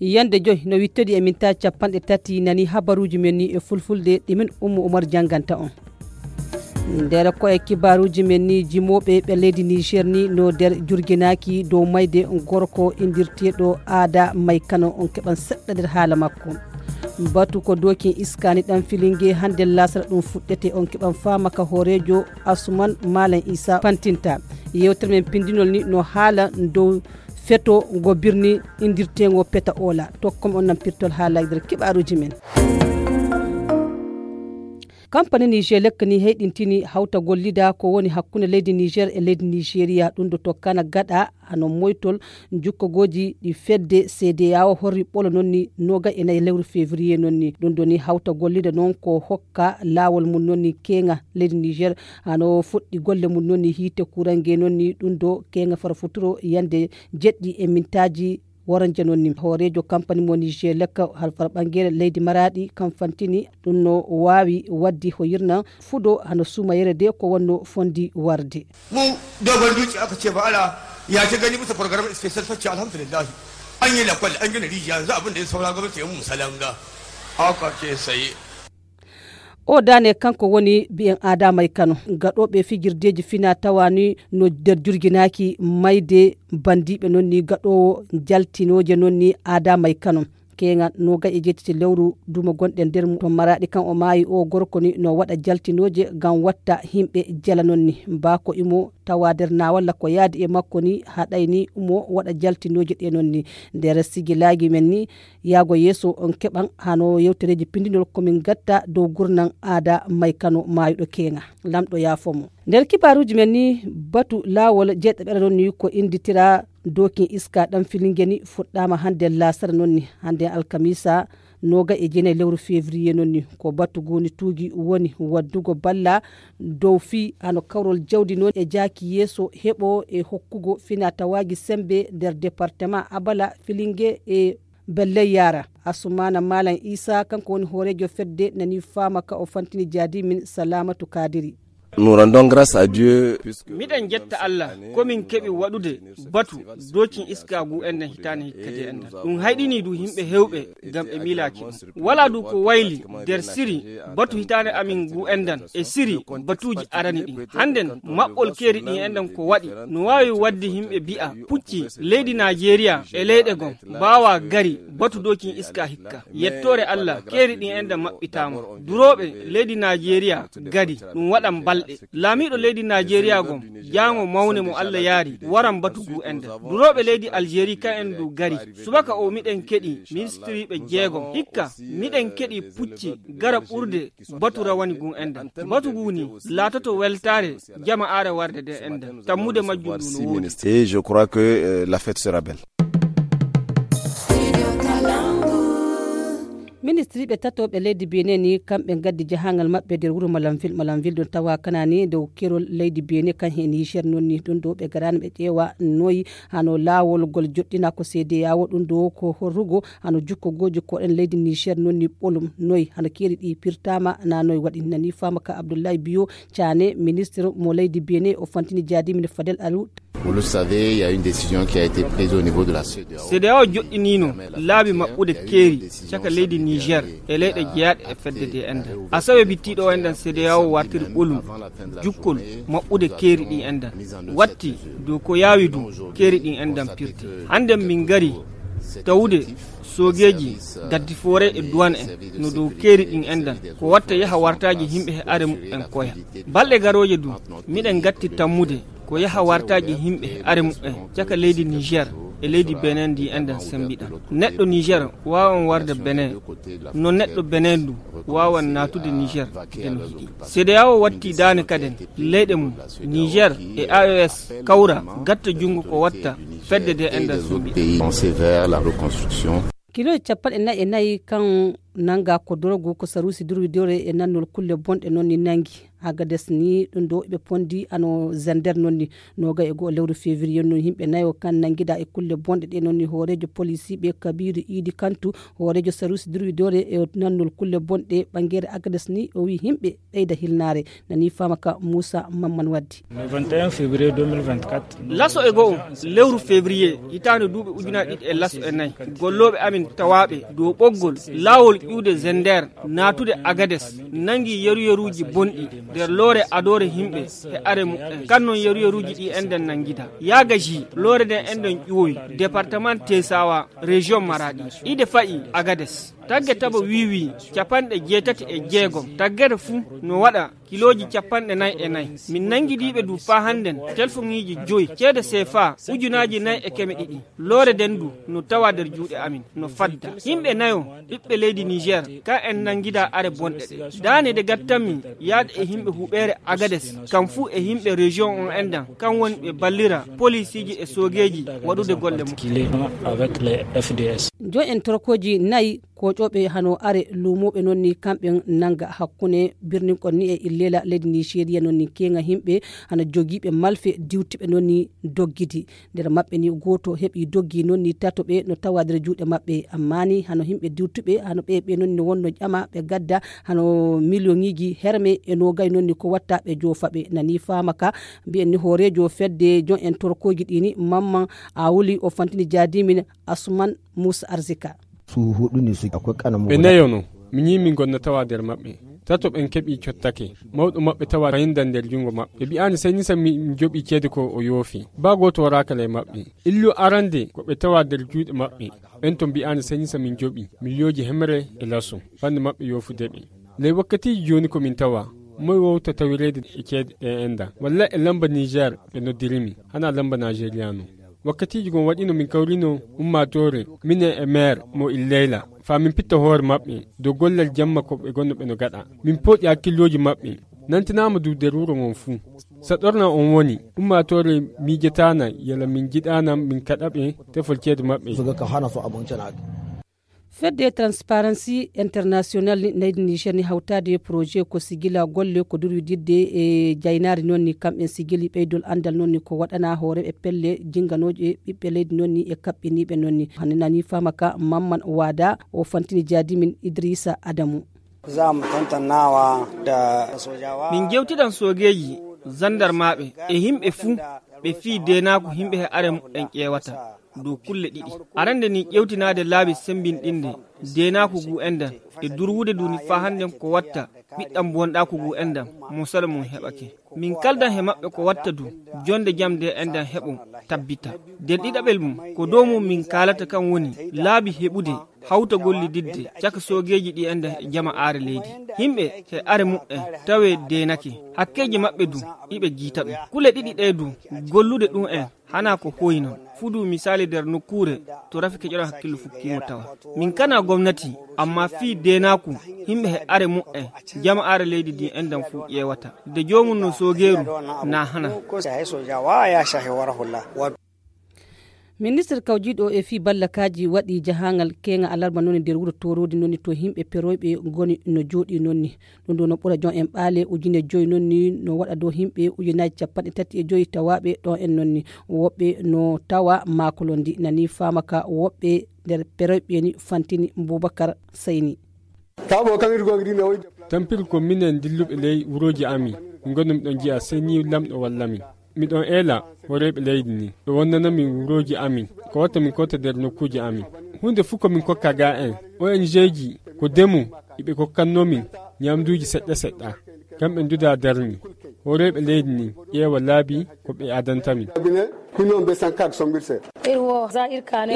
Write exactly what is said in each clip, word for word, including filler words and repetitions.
Yande joy no wittodi e minta capanɗe tati nani habaruji men ni e fulfulde ɗi min Ummu Umar janganta on. Nder ko e kibaruji men ni jimoɓe ɓe leydi Niger ni no nder jurginaki dow mayde gorko indirteɗo Aada May Kano on keɓan seɗɗa nder haala makko. Batu ko dokin iskani ɗan filinge hande lasara ɗum fuɗɗete on keɓan fama ka hoorejo Asuman Malam Isa fantinta. Yewtere men pindinol ni no haala dow feto ngo birni indirtengo peta ola. Tokkom on nan pirtol haalaji nder kibaruji men. Kampani Niger lekka ni heyɗintini hawta gollida ko woni hakkunde leydi Niger e leydi Nigeria ɗum do tokkana gaɗa hano moytol jukkogoji ɗi fedde C D A O horri ɓolo non ni noga e nayi lewru février non ni. Ɗum do ni hawta gollida non ko hokka lawol mum non ni kenga leydi Niger hano fuɗɗi golle mum non ni hiite kurange non ni ɗum do kenga fara futuro yande jeɗɗi e mintaji. Woranje non ni hoorejo kampani mo Niger lekka halfar ɓangere leydi Maraɗi kam fantini ɗum no wawi waddi ho yirna fudo hano sumayere de ko wonno fondi warde. Mu dogon duci aka ce ba ala ya ta gani bisa program special facce alhamdulillah. An yi lakwal an gina rijiya yanzu abin da ya saura gwamnati ya mu salanga. Haka ce sai. O dane kanko woni bi'en Adama e Kano gaɗoɓe fijirdeji fina tawani no nder jurginaki mayde bandiɓe non ni gaɗowo jaltinoje non ni Adama e Kano. Keŋa no gaƴe jeetati lewru duma gonɗen nder mum to Maraɗi kan o maayi o gorko ni no waɗa jaltinoje ngam watta himɓe jala non ni bako imo tawa nder nawalla ko yaadi e makko ni haɗay ni umo waɗa jaltinoje ɗe non ni. Nder sigilagi men ni yaago yeeso on keɓan hano yewtereji pindinol komin gatta dow gurnan aada may kano mayuɗo keŋa. Lamɗo yaafo mo. Nder kibaruji men ni batu lawol jeeɗaɓere non ni ko inditira dokin iska ɗan filinge ni fuɗɗama hande lasara non ni hande alkamisa noga e jeenayi lewru février non ni ko batu goni tuugi woni waddugo balla dow fi hano kawrol jawdi non e jaaki yeeso heɓo e hokkugo fina tawaji sembe nder département abala filinge e belley yara. Asumana malam isa kanko woni hoorejo fedde nani fama ka o fantini jaadi min salamatu kadiri. Nous rendons grâce à Dieu puisque miɗen jetta allah komin keɓi waɗude batu dokin iska gu enɗen hitani hikkadi enɗen ɗum hayɗini du yimɓe hewɓe ngam ɓe miilaki ɗum wala du ko wayli nder siri batu hitande amin gu enɗen e siri batuji arani ɗin hannden maɓɓol keeri ɗin enɗen ko waɗi no wawi wadde yimɓe bi'a pucci leydi najeriya e leyɗe gon mbawa gari batu dokin iska hikka. Yettore allah keeri ɗin enɗen maɓɓitama durooɓe leydi najeriya gari ɗum waɗan balɗe. Laamiiɗo leydi najeriya gom jaango mawne mo allah yaari waran batu gu enɗen durooɓe leydi aljeri ka en du gari. Subaka o miɗen keɗi ministiriiɓe jeegom hikka miɗen keɗi pucci gara ɓurde batu rawani gu enɗen batu gu ni laatoto weltaare jama aare warde de enɗen tammude majjum ndu no woodi. Et je crois que euh, la fête sera belle. Ministriiɓe tatoɓe leydi bene ni kamɓe gaddi jahangal maɓɓe nder wuro malamville malamville ɗon tawa kanani dow kerol leydi bene kan he niger non ni ɗum ɗo ɓe garani ɓe ƴeewa noyi hano lawol gol joɗɗina ko seede yawo ɗum ɗo ko horrugo hano jukkogoji koɗen leydi niger non ni ɓolum noyi hano keeri ɗi pirtama na noyi waɗi nani fama ka abdoullahi biyo cane ministre mo leydi bene o fantini jaadi min fadel alu. Vous le savez, il y a une décision qui a été prise au niveau de la cedao. Cedao joɗɗinino laabi maɓɓude keeri caka leydi niger e leyɗe jeyaɗe e fedde de enɗen asawe bittiɗo enɗen cedao wartiri ɓolum jukkol maɓɓude keeri ɗi enɗen watti dow ko yaawi du keeri ɗin enɗen pirti. Hannden min ngari tawude soogeeji gaddi foore e duwan en no dow keeri ɗin enɗen ko watta yaha wartaaji yimɓe he are muɓɓen koya. Balɗe garooje du miɗen ngatti tammude ko yaha wartaaji yimɓe e are muɓɓen caka leydi niger e leydi benen ndi enɗen sembiɗa. Neɗɗo niger wawan warde benen no neɗɗo benen du wawan natude niger de no yiɗi. Cedao watti dane kaden leyɗe mum niger e aos kawra gatta junngo ko watta fedde de enɗen sembiɗa. Kiloji capanɗe nayi e nayi kan nannga ko dorogu ko saruusi durwidore e nannol kulle bonɗe noon ni nanngi. Agades ni ɗum ɗo ɓe pondi ano zender noon ni. Noga e goo lewru février noon yimɓe nayo kan nanngida e kulle bonɗe ɗe noon ni hooreejo polisiiɓe kabiru iidi kantu hooreejo saruusi durwidore e nannol kulle bonɗe ɓanngere agades ni o wi yimɓe ɓeyda hilnaare. Nani faama ka muusa mamman waddi. Laso e go'o lewru février hitaande duuɓi ujunaaji ɗiɗi e laso e nayi, gollooɓe amin tawaaɓe dow ɓoggol laawol ƴuwde zender naatude agades nanngi yeruyeruuji bonɗi nder loore adoore yimɓe e are muɓɓen. Kan noon yeruyeruuji ɗi enɗen nanngida yaaga ji loore nden enɗen ƴuwoyi département tesawa, région maraɗi, ide fayi agades. Tagge taba wiwi capanɗe jeetati e jeegom taggere fuu no waɗa kilooji capanɗe nayi e nayi. Min nanngidiiɓe du faa hannden telfoŋiiji joyi ceede sefa ujunaaji nayi e keme ɗiɗi. Loore nden du no tawa nder juuɗe amin no fadda. Yimɓe nayo ɓiɓɓe leydi niger kan en nanngida are bonɗe ɗe daane de gattanmi yaade e yimɓe huɓeere agades kam fuu e yimɓe région on enɗan kan woni ɓe ballira polisiiji e soogeeji waɗude golle mum. Avec les F D S. Joyi en torkooji nayi koƴooɓe hano are luumooɓe noon ni kamɓe nannga hakkunde birninkon ni e illela leydi nigeria noon ni keeŋa yimɓe hano jogiiɓe malfe diwtuɓe noon ni doggidi. Nder maɓɓe ni gooto heɓi doggi noon ni tato ɓe no tawa nder juuɗe maɓɓe amma ni hano yimɓe diwtuɓe hano ɓe ɓe noon ni wonno ƴama ɓe gadda hano miliyoŋiiji herme e noogay noon ni ko watta ɓe joofa ɓe nani faama ka. Mbiyen ni hooreejo fedde jon en torkooji ɗi ni mamman a wuli o fantini jaadimin asuman muusa arzika. Su huɗu ne su akwai ƙananan ɓe nayono mi ñiimi gonna tawa nder maɓɓe. Tato ɓen keɓi cottake mawɗo maɓɓe tawa fayinda nder jungo maɓɓe ɓe mbi'ani sai nisa mi joɓi ceede ko o yoofi. Ba gooto waraaka ley maɓɓe. Illu arande ko ɓe tawa nder juuɗe maɓɓe ɓen to mbi'ani sai nisa min joɓi miliyooji hemre e laso. Fande maɓɓe yoofude ɓe ley wakkatiiji jooni ko min tawa moy wowta tawireede e ceede ɗe enɗan walla e lamba niger ɓe noddirimi hana lamba nigeriano. Wakkatiiji gon waɗino min kawrino ummaatoore minen e meer mo illeyla faa min pitta hoore maɓɓe dow gollal jamma ko ɓe gonno ɓe no gaɗa. Min pooɗi hakkillooji maɓɓe nantinaama dow nder wuro ngon fuu. Saɗorna on woni ummaatoore miijetaana yala min njiɗaana min kaɗa ɓe tefol ceede maɓɓe. Fedde transparency international ni naydi niger ni hawtaade projet ko sigila golle ko durwididde e jaynaari noon ni kamɓen sigili ɓeydol anndal noon ni ko waɗana hooreeɓe pelle jinganooje ɓiɓɓe leydi noon ni e kaɓɓiniiɓe noon ni hannde nani faama ka mamman waada o fantini jaadimin idrissa adamu. Za mu tantannawa da sojawa. Min jewtiɗan soogeeji zandarmaaɓe e yimɓe fuu ɓe fii deenaaku yimɓe he are muɓɓen ƴeewata dow kulle ɗiɗi. Arande ni ƴewtinaade laabi semmbinɗinde deenaaku ngu enɗan e durwude ndu ni faa hannden ko watta ɓiɗɗan bonɗaaku ngu enɗan mo salo mum heɓake. Min kaldan he maɓɓe ko watta du jonnde jam nde enɗan heɓo tabbita. Nder ɗiɗaɓel mum ko dow mum min kaalata kan woni laabi heɓude hawta gollididde caka soogeeji ɗi enɗan e jama aare leydi. Yimɓe he are muɓɓen tawee deenake hakkeeji maɓɓe du iɓe jiita ɗum. Kule ɗiɗi ɗe du gollude ɗum en hana ko hoyi non. Fudu misaali nder nokkuure to rafi keƴoɗon hakkillo fukkiimo tawa min kana gomnati amma fii deenaaku yimɓe he are muɓɓen jama aare leydi ndi enɗan fuu ƴeewata de joomum no soogeeru na hana. Ministre kawjiiɗo e fii ballakaaji waɗi jahaangal keeŋa alarba noon nder wuro tooroodi noon to yimɓe peroyɓe ngoni no jooɗii noon. Ɗum ɗo no ɓura jon en ɓaale ujine joyi noon ni no waɗa dow yimɓe ujunaaji capanɗe tati e joyi tawaaɓe ɗon en noon ni. Woɓɓe no tawa maakolondi nani faama ka woɓɓe nder peroyɓe ni fantini boubakar sayni. Tampiri ko minen dilluɓe ley wurooji amin. Min ngonno miɗon jiya sey ni lamɗo walla min. Miɗon eela hooreeɓe leydi ni ɓe wonnana min wurooji amin ko watta min kota nder nokkuuji amin. Huunde fuu ko min kokka ga en ong ji ko demu iɓe kokkanno min. Ñamduuji seɗɗa seɗɗa kamɓe nduda darni hooreeɓe leydi ni ƴeewa laabi ko ɓe adanta min.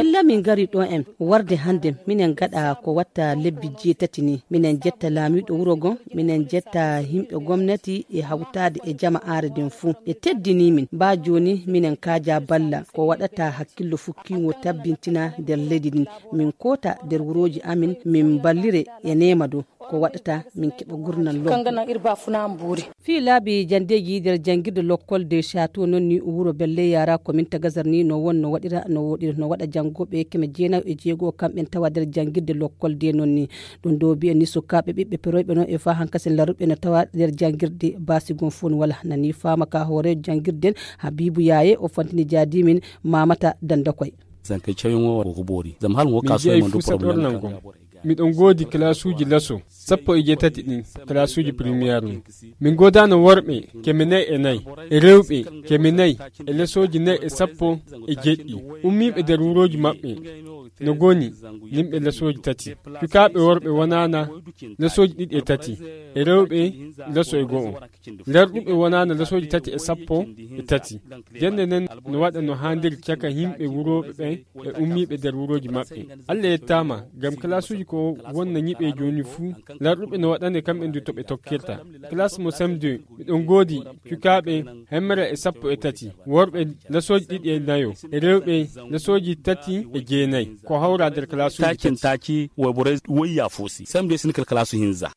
Illa min ngari ɗo en warde hannde minen ngaɗa ko watta lebbi jeetati ni. Minen jetta laamiiɗo wuro ngon, minen jetta yimɓe gomnati e hawtaade e jama aare nden fuu. Ɓe teddini min. Baa jooni minen kaaja balla ko waɗata hakkillo fukkiingo tabbintina nder leydi ndin. Min koota nder wurooji amin min mballire e neema dow. ko waɗata min keɓa gurnal lobbo. Fii laabi janndeeji nder janngirde lokkol de château noon ni wuro belle yara komin tagazar ni no won no waɗira no woɗira no waɗa janngooɓe keme jeenayo e jeego kamɓen tawa nder janngirde lokkol de noon ni. Ɗum ɗo mbiyen ni sukaaɓe ɓiɓɓe peroyɓe noon e faa hankasen laruɓe no tawa nder janngirde basigon fof no wala nani faama ka hoore janngirden. Habibu yaye o fantini jaadimin mamata dandakoy. Zanke cayon o ko boori zam hal ngo min kaso jeyi man du fuu problème saɗornan gom. Miɗon ngoodi kalaasuuji laso sappo e jeetati ɗin, kalaasuuji première ɗin. Min goodaano worɓe keme nayi e nayi e rewɓe keme nayi e lesooji nayi e sappo e jeɗɗi ummiiɓe nder wurooji maɓɓe. No goni yimɓe lesooji tati. Cukaaɓe worɓe wonaana lesooji ɗiɗi e tati e rewɓe leso e go'o. Lerɗuɓe wonaana lesooji tati e sappo e tati. Jannde nden no waɗa no haandiri caka yimɓe wurooɓe ɓen e ummiiɓe nder wurooji maɓɓe. Allah yettaama ngam kalaasuuji ko wonna ñiɓe jooni fuu. Lerɗuɓe no waɗane kamɓe ndu to ɓe tokkirta. Kalaas mo sem deux miɗon ngoodi cukaaɓe hemre e sappo e tati, worɓe lesooji ɗiɗi e nayo e rewɓe lesooji tati e jeenayi. Ko hawra nder kalaasuuji tati. Takin taki woybore woyya foosi sem deux sinikal kalaasu hinza.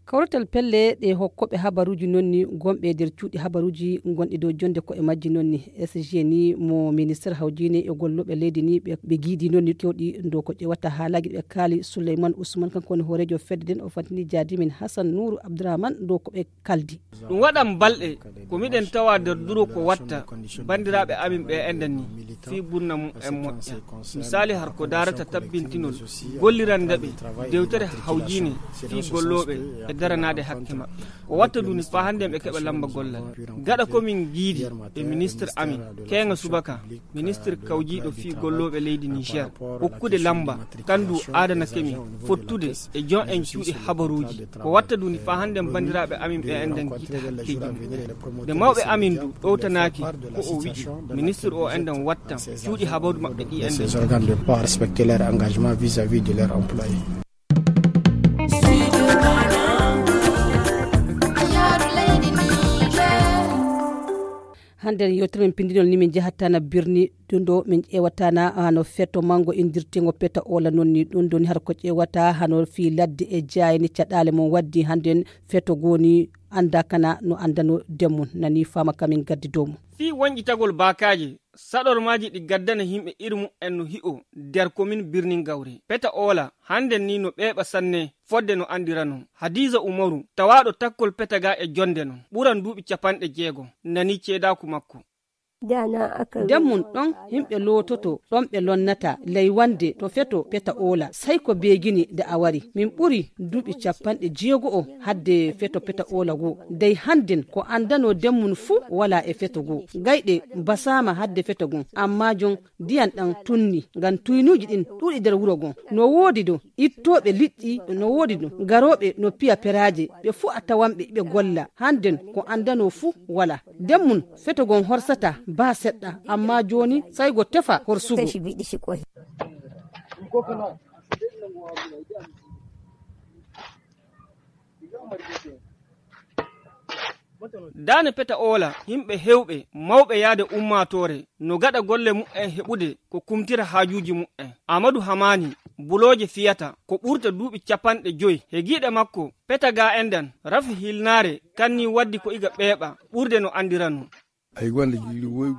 Kawrital pelle ɗe hokkooɓe habaruuji noon ni gonɓe nder cuuɗi habaruuji gonɗi dow jonde ko e majji noon ni. S G ni mo ministre hawjine e gollooɓe leydi ni ɓe ɓe giidi noon ni kewɗi dow ko ƴewata haalaaji ɓe kaali. Souleyman Ousmane kanko woni hooreejo fedde nden o fantini jaadimin Hassan Nourou Abdourahmane dow ko ɓe kaldi. Ɗum waɗan balɗe ko miɗen tawa nder duro ko watta banndiraaɓe amin ɓe enɗan ni fii bunna mum en moƴƴa. Misaali har ko daarata tabbintinol gollirande ɓe dewtere hawjiine fii gollooɓe e daranaade hakke maɓɓe. Ko watta duni faa hannde ɓe keɓa lamba gollal. Gaɗa ko min giidi e ministre amin keeŋa subaka ministre kawjiiɗo fii gollooɓe leydi Niger okkude lamba kandu aadanake min fottude e jon en cuuɗi habaruuji. Ko watta duni faa hannde banndiraaɓe amin ɓe enɗan jiita hakkeeji mum. Nde mawɓe amin du ɗowtanaaki ko o wi'i ministre o enɗan watta cuuɗi habaru maɓɓe ɗi enɗan. Ces organes de pouvoir respecter leur engagement vis-à-vis de leur employé. Hannde yewtere men pinndinol ni min njahataa na birni ɗum ɗo min ƴeewataa na hano feto manngo indirtingo peta ola noon ni ɗum ɗo ni har ko ƴeewataa hano fii ladde e jaayni caɗaale mum waddi hannden feto goni annda kana no anndano demmum nani faama kamin gaddi dow mum. Fii wonƴitagol baakaaje saɗormaaji ɗi gaddana yimɓe iri mumen no hi'o nder komin birnin gawre peta ola hannden ni no ɓeeɓa sanne. Fodde no anndirano hadiisa umaru tawaaɗo takkol peta ga e jonnde non ɓuran duuɓi capanɗe jeego nani ceedaaku makko. Nden mum ɗon yimɓe loototo ɗon ɓe lonnata ley wannde to feto peta oola sey ko beegini nde a wari. Min ɓuri duuɓi capanɗe jeego'o hadde feto peta oola goo dey hannden ko anndanoo nden mum fuu walaa e feto goo. Gayɗe basaama hadde feto goo ammaa jon ndiyan ɗan tunni ngam tuynuuji ɗin ɗuuɗi nder wuro goo. No woodi du ittooɓe liƴƴi no woodi du garooɓe no piya peraaje ɓe fuu a tawanɓe iɓe golla hannden ko anndanoo fuu walaa. Nden mum feto gon horsataa baa seɗɗa ammaa jooni sey go tefa horsugo. Daane peta oola yimɓe heewɓe mawɓe yaade ummaatoore no gaɗa golle mumen heɓude ko kumtira haajuuji mumen. Amadu hamaani bulooje fiyata ko ɓurta duuɓi capanɗe joy he giiɗe makko. Peta ga enɗan rafi hilnaare kanni waddi ko iga ɓeeɓa ɓurde no anndiranoo.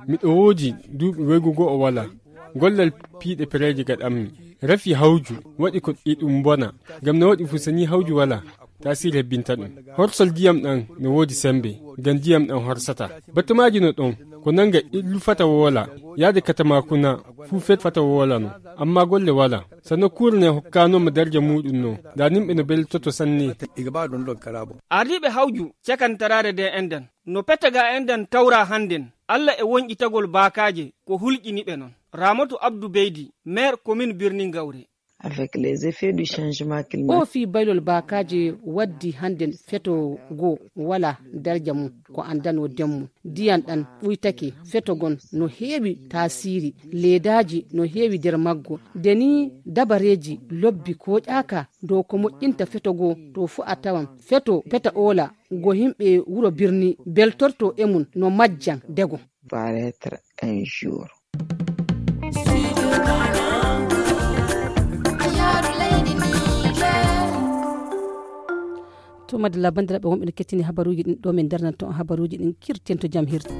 Miɗo woodi duuɓi woygu go'o walaa gollal piiɗe pereeje gaɗanmi. Rafi hawju waɗi ko e ɗum bona ngam no waɗi fusani hawju walaa. Taasiri hebbinta ɗum horsol ndiyam ɗam no woodi semmbe ngam ndiyam ɗam horsataa. Battumaaji no ɗon ko nannga illu fata woola yaade katamaakuna fuu fet fata woolano. Ammaa golle walaa sanno kuurne hokkaanooma darja muuɗum no ndaa nimɓe no beltoto sanne. Ardiiɓe hawju cakantaraare nde enɗan no peta ga enɗan tawra hannden. Alla e wonƴitagol baakaaje ko hulƴini ɓe non. Raamatu abdu beydi meer komin birni ngawre. Avec les effets du changement climatique. O fii baylol baakaaje waddi hannden feto goo walaa darja mum ko anndanoo nden mum. Ndiyan ɗan ɓuytake feto gon no heewi taasiri leedaaji no heewi nder maggo. Nde nii dabareeji lobbi kooƴaaka dow ko moƴƴinta feto goo to fuu a tawan feto peta oola ngo yimɓe wuro birni beltorto e mum no majjan dego. Paraître un jour. To madalla banndiraaɓe wonɓe no kettini habaruuji ɗin ɗo min darnanto on habaruuji ɗin kirten to jam hirde.